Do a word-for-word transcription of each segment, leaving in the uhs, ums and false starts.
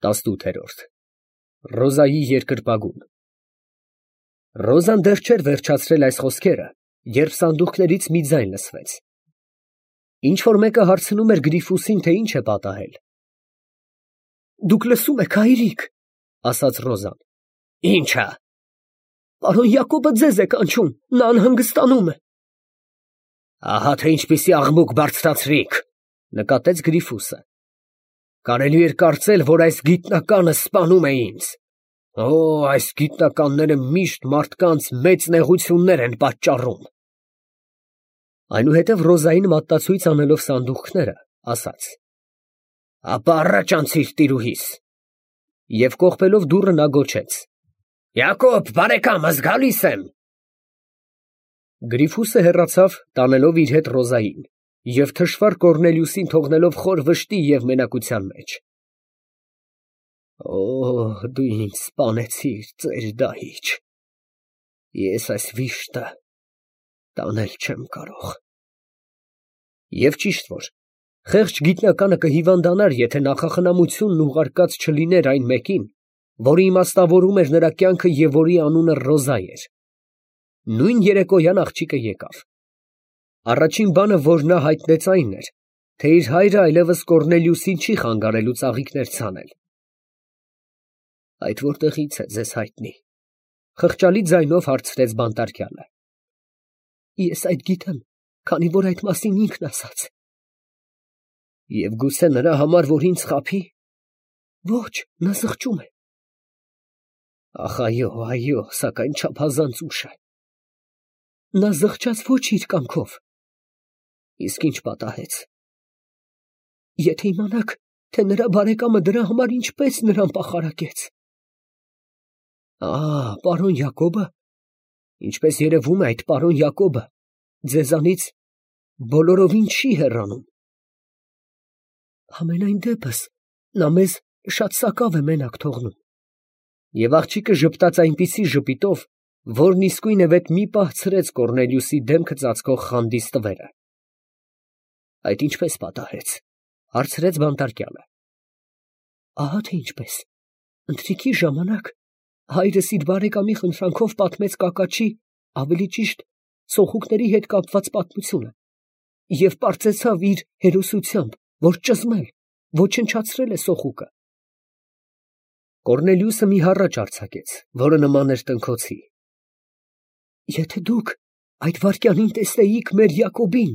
տասնութ Ռոզայի երկրպագուն Ռոզան դեռ չէր վերջացրել այս խոսքերը, երբ սանդուղքներից մի ձայն լսվեց. ինչ֊որ մեկը հարցնում էր Գրիֆուսին, թե ինչ է պատահել։ Դուք լսո՞ւմ եք, հայրիկ, ասաց Ռոզան։ Ի՞նչը։ Պարոն Յակոբը ձեզ է կանչում, նա անհանգստանում է։ Ահա թե ինչպիսի աղմուկ բարձրացրիք, նկատեց Գրիֆուսը։ Կարելի էր կարծել, որ այս գիտնականը սպանում է ինձ։ Օ, այս գիտնականները միշտ մարդկանց մեծ նեղություններ են պատճառում։ Այնուհետև Ռոզային մատտացույց անելով սանդուղքները, ասաց. Ապա առաջ անցիր տիրուհիս։ Եվ կողպելով դուռը նա գոչեց. Յակոբ, բարեկամս, գալիս եմ։ Գրիֆուսը հեռացավ, տանելով իր հետ Ռոզային, և թշվառ Կոռնելիուսին թողնելով խոր վշտի և մենակության մեջ։ Օ, դու ինձ սպանեցիր, ծեր դահիճ, ես այս վիշտը տանել չեմ կարող։ Եվ ճիշտ որ, խեղճ գիտնականը կհիվանդանար, եթե նախախնամությունն ուղարկած չլիներ այն մեկին, որը իմաստավորում էր նրա կյանքը և որի անունը Ռոզա էր։ Նույն երեկոյան աղջիկը եկավ։ Առաջին բանը, որ նա հայտնեց, այն էր, թե իր հայրը այլևս Կոռնելիուսին չի խանգարելու ծաղիկներ ցանել։ Այդ որտեղից է ձեզ հայտնի, խղճալի ձայնով հարցրեց բանտարկյալը։ Ես այդ գիտեմ, քանի որ այդ մասին ինքն ասաց։ Եվ գուցե նրա համար, որ ինձ խաբի։ Ոչ, նա զղջում է։ Ախ, այո, այո, սակայն չափազանց ուշ է։ Նա զղջաց ոչ իր կամքով։ Իսկ ինչ պատահեց։ Եթե իմանաք, թե նրա բարեկամը դրա համար ինչպես նրան պախարակեց։ Ահ, պարոն Յակոբը, ինչպես երևում է, այդ պարոն Յակոբը ձեզանից բոլորովին չի հեռանում։ Համենայն դեպս, նա մեզ շատ սակավ է մենակ թողնում։ Եվ աղջիկը ժպտաց այնպիսի ժպիտով, որն իսկույնևեթ մի պահ ցրեց Կոռնելիուսի դեմքը ծածկող խանդի ստվերը։ Այդ ինչպես պատահեց, հարցրեց բանտարկյալը։ Ահա թե ինչպես, ընթրիքի ժամանակ հայրս իր բարեկամի խնդրանքով պատմեց կակաչի, ավելի ճիշտ, սոխուկների հետ կապված պատմությունը, և պարծեցավ իր հերոսությամբ, որ ճզմել, ոչնչացրել է սոխուկը։ Կոռնելիուսը մի հառաչ արձակեց, որը նման էր տնքոցի։ Եթե դուք այդ վայրկյանին տեսնեիք մեր Յակոբին,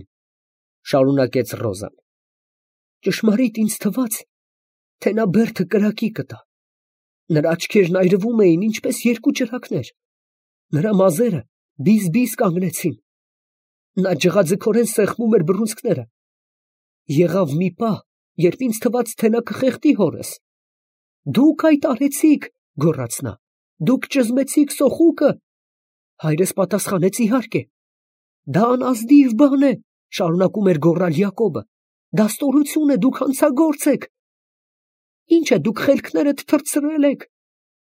շարունակեց Ռոզան, ճշմարիտ ինձ թվաց, թե նա բերդը կրակի կտա։ Նրա աչքերն այրվում էին, ինչպես երկու ճրագներ, նրա մազերը բիզ-բիզ կանգնեցին, նա ջղաձգորեն սեղմում էր բռունցքները։ Եղավ մի պահ, երբ ինձ թվաց, թե նա կխեղդի հորս։ Դուք այդ արեցիք, գոռաց նա, դուք ճզմեցիք սոխուկը։ Հայրս պատասխանեց, իհարկե։ Դա անազնիվ բան է, շարունակում էր գոռալ Յակոբը, դա ստորություն է, դուք հանցագործ եք։ Ինչ է, դուք խելքներդ թռցրել եք,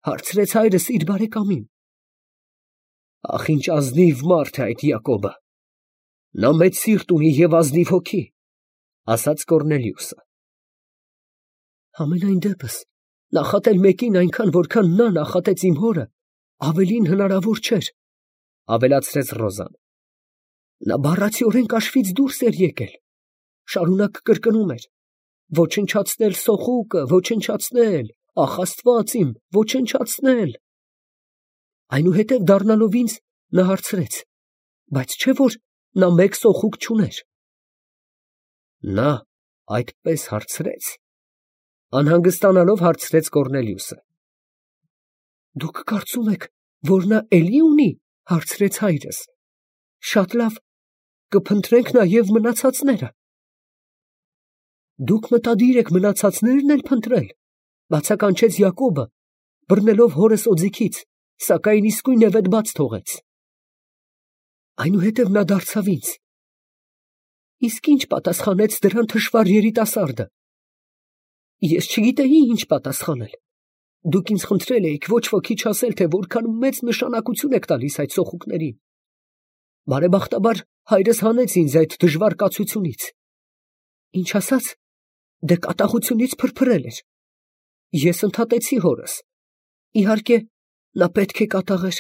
հարցրեց հայրս իր բարեկամին։ Ախ, ինչ ազնիվ մարդ է այդ Յակոբը, նա մեծ սիրտ ունի և ազնիվ հոգի, ասաց Կոռնելիուսը։ Համենայն դեպս, նախատել մեկին այնքան, որքան նա նախատեց իմ հորը, ավելին հնարավոր չէր, ավելացրեց Ռոզան։ Նա բառացիորեն կաշվից դուրս էր եկել, շարունակ կրկնում էր. ոչնչացնել սոխուկը, ոչնչացնել, ախ Աստված իմ, ոչնչացնել։ Այնուհետև դառնալով ինձ, նա հարցրեց. բայց չէ՞ որ նա մեկ սոխուկ չուներ։ Նա այդպես հարցրեց, անհանգստանալով հարցրեց Կոռնելիուսը։ Դուք կարծում եք, որ նա էլի ունի, հարցրեց հայրս։ Շատ լավ, կփնտրենք նաև մնացածները։ Դուք մտադիր եք մնացածներն էլ փնտրել, բացականչեց Յակոբը, բռնելով հորս օձիքից, սակայն իսկույնևեթ բաց թողեց։ Այնուհետև նա դարձավ ինձ. իսկ ինչ պատասխանեց դրան թշվառ երիտասարդը։ Ես չգիտեի ինչ պատասխանել։ Դուք ինձ խնդրել էիք ոչ ոքի չասել, թե որքան մեծ նշանակություն եք տալիս այդ սոխուկներին։ Բարեբախտաբար հայրս հանեց ինձ այդ դժվար կացությունից։ Ինչ ասաց, դե կատաղությունից փրփրել էր։ Ես ընդհատեցի հորս։ Իհարկե, նա պետք է կատաղեր,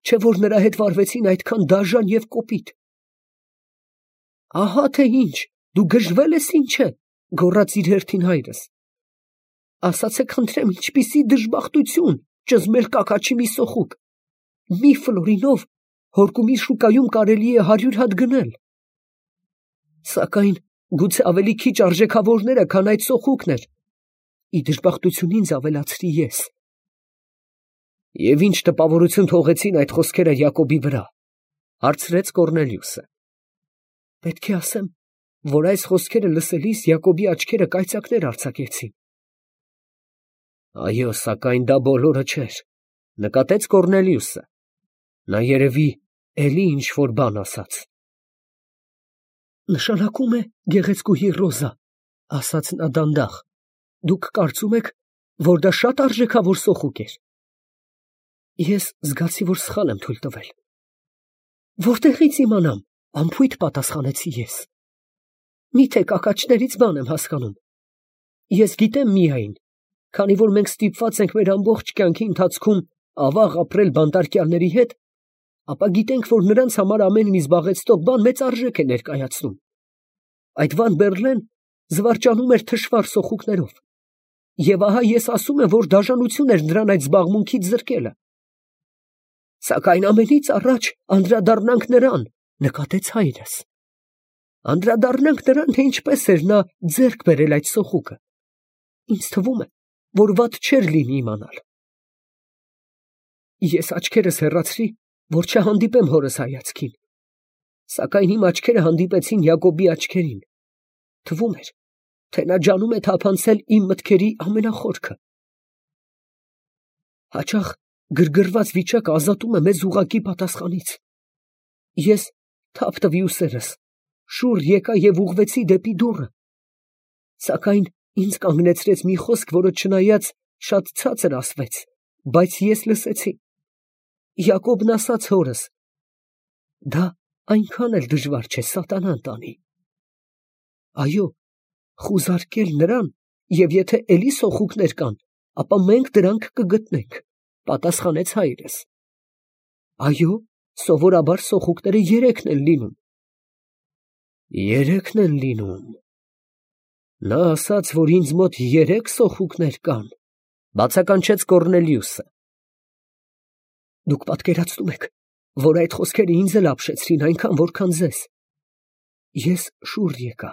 չէ որ նրա հետ վարվեցին այդքան դաժան և կոպիտ։ Ահա թե ինչ, դու գժվել ես ինչ է, գոռաց իր հերթին հայրս։ Ասացեք խնդրեմ, ինչպիսի դժբախտություն, ճզմել կակաչի մի սոխուկ, մի ֆլորինով հորկումի շուկայում կարելի է հարյուր հատ գնել։ Սակայն գուցե ավելի քիչ արժեքավորները, քան այդ սոխուկն էր, ի դժբախտություն ինձ ավելացրի ես։ Եվ ինչ տպավորություն թողեցին այդ խոսքերը Յակոբի վրա, հարցրեց Կոռնելիուսը։ Պետք է ասեմ, որ այս խոսքերը լսելիս Յակոբի աչքերը կայծակներ արձակեցին։ Այո, սակայն դա բոլորը չէր, նկատեց Կոռնելիուսը։ Նա երևի էլի ինչ որ բան ասաց։ Նշանակում է, գեղեցկուհի Ռոզա, ասաց նա դանդաղ, դուք կարծում եք, որ դա շատ արժեքավոր սոխուկ էր։ Ես զգացի, որ սխալ եմ թույլ տվել։ Որտեղից իմանամ, անփույթ պատասխանեցի ես։ Միթե կակաչներից բան եմ հասկանում։ Ես գիտեմ միայն, քանի որ մենք ստիպված ենք մեր ամբողջ կյանքի ընթացքում ավաղ ապրել բանտարկյալների հետ, ապա գիտենք, որ նրանց համար ամեն մի զբաղեցնող բան մեծ արժեք է ներկայացնում։ Այդ Վան Բերլեն զվարճանում էր թշվառ սոխուկներով, և ահա ես ասում եմ, որ դաժանություն էր նրան այդ զբաղմունքից զրկելը։ Սակայն ամենից առաջ անդրադառնանք նրան, նկատեց հայրս։ Անդրադառնանք նրան, թե ինչպես էր նա ձեռք բերել այդ սոխուկը։ Ինձ թվում է, որ վատ չէր լինի իմանալ։ Ես աչքերս հեռացրի, որ չհանդիպեմ հորս հայացքին, սակայն իմ աչքերը հանդիպեցին Յակոբի աչքերին։ Թվում էր, թե նա ջանում է թափանցել իմ մտքերի ամենախորքը։ Հաճախ գրգռված վիճակը ազատում է մեզ ուղղակի պատասխանից։ Ես թափ տվի ուսերս, շուռ եկա և ուղղվեցի դեպի դուռը, սակայն ինձ կանգնեցրեց մի խոսք, որը չնայած շատ ցածր ասվեց, բայց ես լսեցի։ Յակոբն ասաց հորս. դա այնքան էլ դժվար չէ սատանան տանի։ Այո, խուզարկել նրան, և եթե էլի սոխուկներ կան, ապա մենք դրանք կգտնենք, պատասխանեց հայրս։ Այո, սովորաբար սոխուկները երեքն են լինում։ Երեքն են լինում։ Նա ասաց, որ ինձ մոտ երեք սոխուկներ կան, բացականչեց Կոռնելիուսը։ Դուք պատկերացնում եք, որ այդ խոսքերը ինձ էլ ապշեցրին այնքան, որքան ձեզ։ Ես շուռ եկա։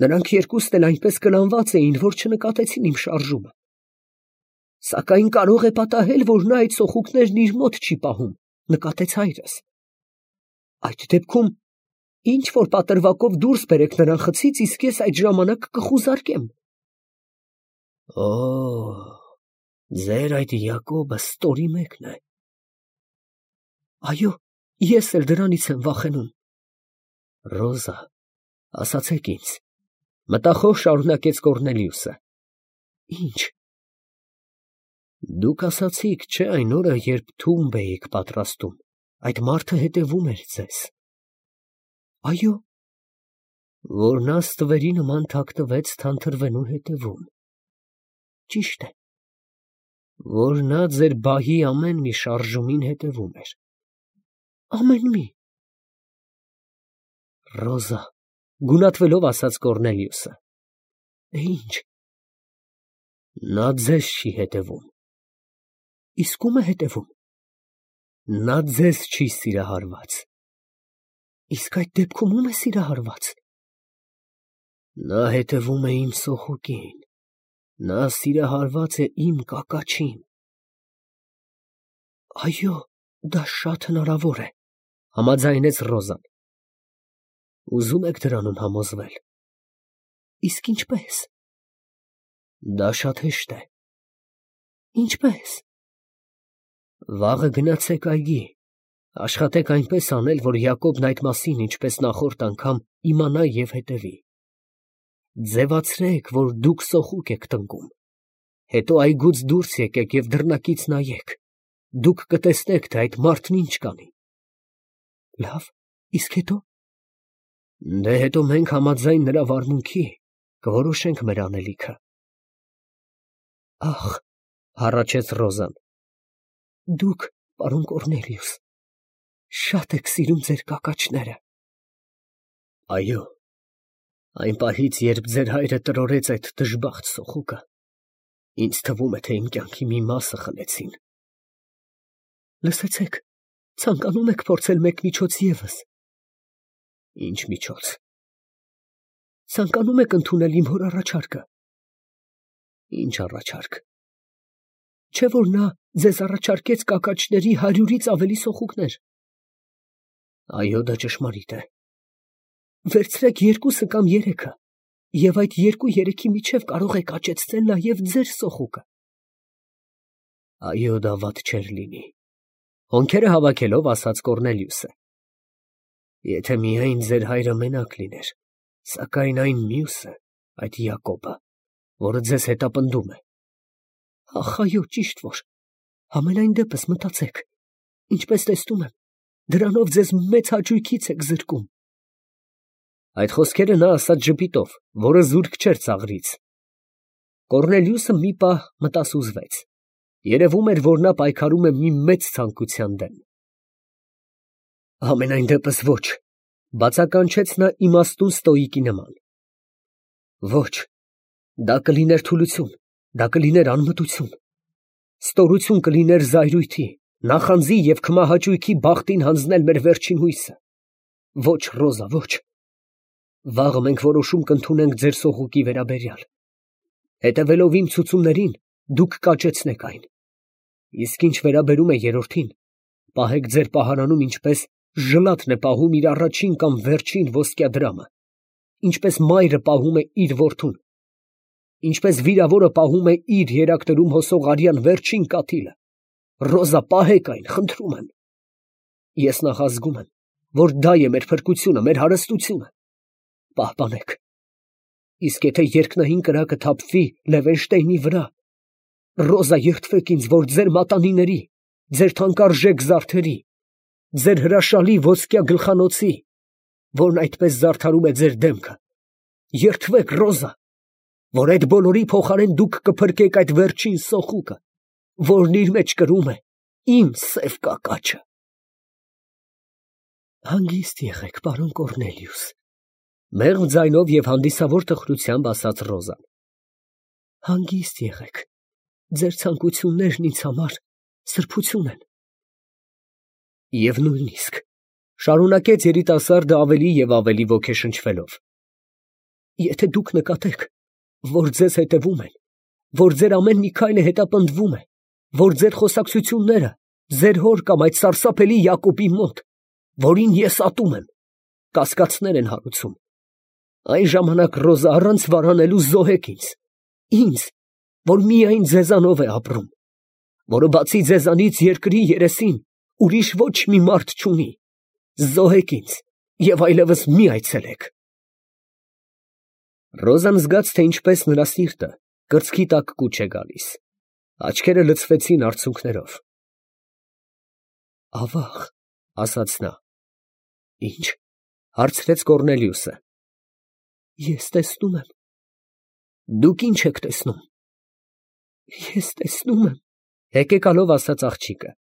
Նրանք երկուսն էլ այնպես կլանված էին, որ չնկատեցին իմ շարժումը։ Սակայն կարող է պատահել, որ նա այդ սոխուկներն իր մոտ չի պահում, նկատեց հայրս։ Այդ դեպքում ինչ որ պատրվակով դուրս բերեք նրան խցից, իսկ ես այդ ժամանակ կխուզարկեմ։ Օ, ձեր այդ Յակոբը ստորի մեկն է։ Այո, ես էլ դրանից եմ վախենում։ Ռոզա, ասացեք ինձ, մտախոհ շարունակեց Կոռնելիուսը։ Ինչ։ Դուք ասացիք, չէ, այն օրը, երբ թումբ էիք պատրաստում, այդ մարդը հետևում էր ձեզ։ Այո։ Որ նա ստվերի նման թաքնվեց թանթրվենու հետևում։ Ճիշտ է։ Որ նա ձեր բահի ամեն մի շարժումին հետևում էր։ Ամեն մի։ Ռոզա, գունատվելով ասաց Կոռնելիուսը։ Ինչ։ Նա ձեզ չի հետևում։ Իսկ ում է հետևում։ Նա ձեզ չի սիրահարված։ Իսկ այդ դեպքում ում է սիրահարված։ Նա հետևում է իմ սոխուկին։ Նա սիրահարված է իմ կակաչին։ Այո, դա շատ հնարավոր է, համաձայնեց Ռոզան։ Ուզում եք դրանում համոզվել։ Իսկ ինչպես։ Դա շատ հեշտ է։ Ինչպես։ Վաղը գնացեք այգի, աշխատեք այնպես անել, որ Յակոբն այդ մասին, ինչպես նախորդ անգամ, իմանա և հետևի։ Ձևացրեք, որ դուք սոխուկ եք տնկում, հետո այգուց դուրս եկեք և դռնակից նայեք, դուք կտեսնեք, թե այդ մարդն ինչ կանի։ Լավ, իսկ հետո։ Դե հետո մենք համաձայն նրա վարմունքի կորոշենք մեր անելիքը։ Ախ, հառաչեց Ռոզան, դուք, պարոն Կոռնելիուս, շատ եք սիրում ձեր կակաչները։ Այո, այն պահից, երբ ձեր հայրը տրորեց այդ դժբախտ սոխուկը, ինձ թվում է, թե իմ կյանքի մի մասը խլեցին։ Լսեցեք, ցանկանում եք փորձել մեկ միջոց ևս։ Ինչ միջոց։ Ցանկանում եք ընդունել իմ հոր առաջարկը։ Ինչ առաջարկ։ Չէ՞ որ նա ձեզ առաջարկեց կակաչների հարյուրից ավելի սոխուկներ։ Այո, դա ճշմարիտ է։ Վերցրեք երկուսը կամ երեքը, և այդ երկու-երեքի միջև կարող եք աճեցնել նաև ձեր սոխուկը։ Այո, դա վատ չէր լինի, հոնքերը հավաքելով ասաց Կոռնելիուսը։ Եթե միայն ձեր հայրը մենակ լիներ, սակայն այն մյուսը, այդ Յակոբը, որը ձեզ հետապնդում է։ Ախ, այո, ճիշտ որ, համենայն դեպս մտածեք, ինչպես տեսնում եմ, դրանով ձեզ մեծ հաճույքից եք զրկում։ Այդ խոսքերը նա ասաց ժպիտով, որը զուրկ չէր ծաղրից։ Կոռնելիուսը մի պահ մտասուզվեց. երևում էր, որ նա պայքարում է մի մեծ ցանկության դեմ։ Համենայն դեպս ոչ, բացականչեց նա իմաստուն ստոիկի նման։ Ոչ, դա կլիներ թուլություն, դա կլիներ անմտություն, ստորություն կլիներ զայրույթի, նախանձի և քմահաճույքի բախտին հանձնել մեր վերջին հույսը։ Ոչ, Ռոզա, ոչ։ Վաղը մենք որոշում կընդունենք ձեր սոխուկի վերաբերյալ։ Հետևելով իմ ցուցումներին, դուք կաճեցնեք այն։ Իսկ ինչ վերաբերում է երրորդին, պահեք ձեր պահարանում, ինչպես ժլատն է պահում իր առաջին կամ վերջին ոսկյա դրամը, ինչպես մայրը պահում է իր որդուն, ինչպես վիրավորը պահում է իր երակներում հոսող արյան վերջին կաթիլը։ Ռոզա, պահեք այն, խնդրում եմ։ Ես նախազգում եմ, որ դա է մեր փրկությունը, մեր հարստությունը։ Պահպանեք։ Իսկ եթե երկնային կրակը թափվի Լևենշտեյնի վրա, Ռոզա, երդվեք ինձ, որ ձեր մատանիների, ձեր թանկարժեք զարդերի, ձեր հրաշալի ոսկյա գլխանոցի, որն այդպես զարդարում է ձեր դեմքը, երդվեք, Ռոզա, որ այդ բոլորի փոխարեն դուք կփրկեք այդ վերջին սոխուկը, որն իր մեջ կրում է իմ սև կակաչը։ Հանգիստ եղեք, պարոն Կոռնելիուս, մեղմ ձայնով և հանդիսավոր տխրությամբ ասաց Ռոզան։ Հանգիստ եղեք, ձեր ցանկություններն ինձ համար սրբություն են։ Եվ նույնիսկ, շարունակեց երիտասարդը ավելի և ավելի ոգեշնչվելով, եթե դուք նկատեք, որ ձեզ հետևում են, որ ձեր ամեն մի քայլը հետապնդվում է, որ ձեր խոսակցությունները ձեր հոր կամ այդ սարսափելի Յակոբի մոտ, որին ես ատում եմ, կասկածներ են հարուցում, այն ժամանակ, Ռոզա, առանց վարանելու զոհեք ինձ, ինձ, որ միայն ձեզանով է ապրում, որը բացի ձեզանից երկրի երեսին ուրիշ ոչ մի մարդ չունի, զոհեք ինձ և այլևս մի այցելեք։ Ռոզան զգաց, թե ինչպես նրա սիրտը կրծքի տակ կուչ է գալիս, աչքերը լցվեցին արցունքներով։ Ավաղ, ասաց նա։ Ինչ, հարցրեց Կոռնելիուսը։ Ես տեսնում եմ։ Դուք ինչ եք տեսնում։ Ես տեսնում եմ, հեկեկալով ասաց աղջիկը,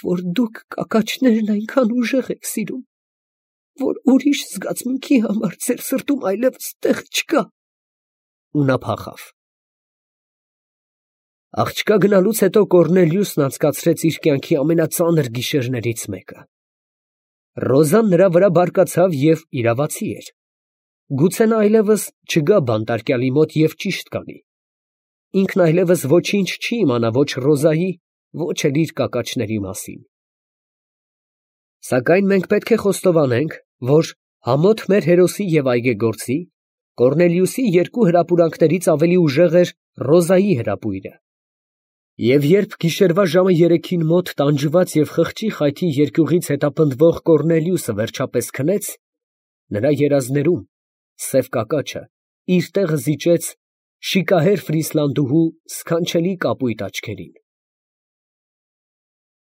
որ դուք կակաչներն այնքան ուժեղ եք սիրում, որ ուրիշ զգացմունքի համար ձեր սրտում այլևս տեղ չկա։ Ու նա փախավ։ Աղջկա գնալուց հետո Կոռնելիուսն անցկացրեց իր կյանքի ամենածանր գիշերներից մեկը։ Ռոզան նրա վրա բարկացավ և իրավացի էր։ Գուցե նա այլևս չգա բանտարկյալի մոտ և ճիշտ կանի։ Ինքն այլևս ոչինչ չի իմանա ոչ Ռոզայի, ոչ էլ իր կակաչների մասին։ Սակայն մենք պետք է խոստովանենք, որ համոտ մեր հերոսի և այգեգործի, Կոռնելիուսի երկու հրապուրանքներից ավելի ուժեղ էր Ռոզայի հրապույրը։ Եվ երբ գիշերվա ժամը երեքին մոտ տանջված և խղճի խայթի երկյուղից հետապնդվող Կոռնելիուսը վերջապես քնեց, նրա երազներում սև կակաչը իր տեղը զիջեց շիկահեր Ֆրիսլանդուհու սքանչելի կապույտ աչքերին։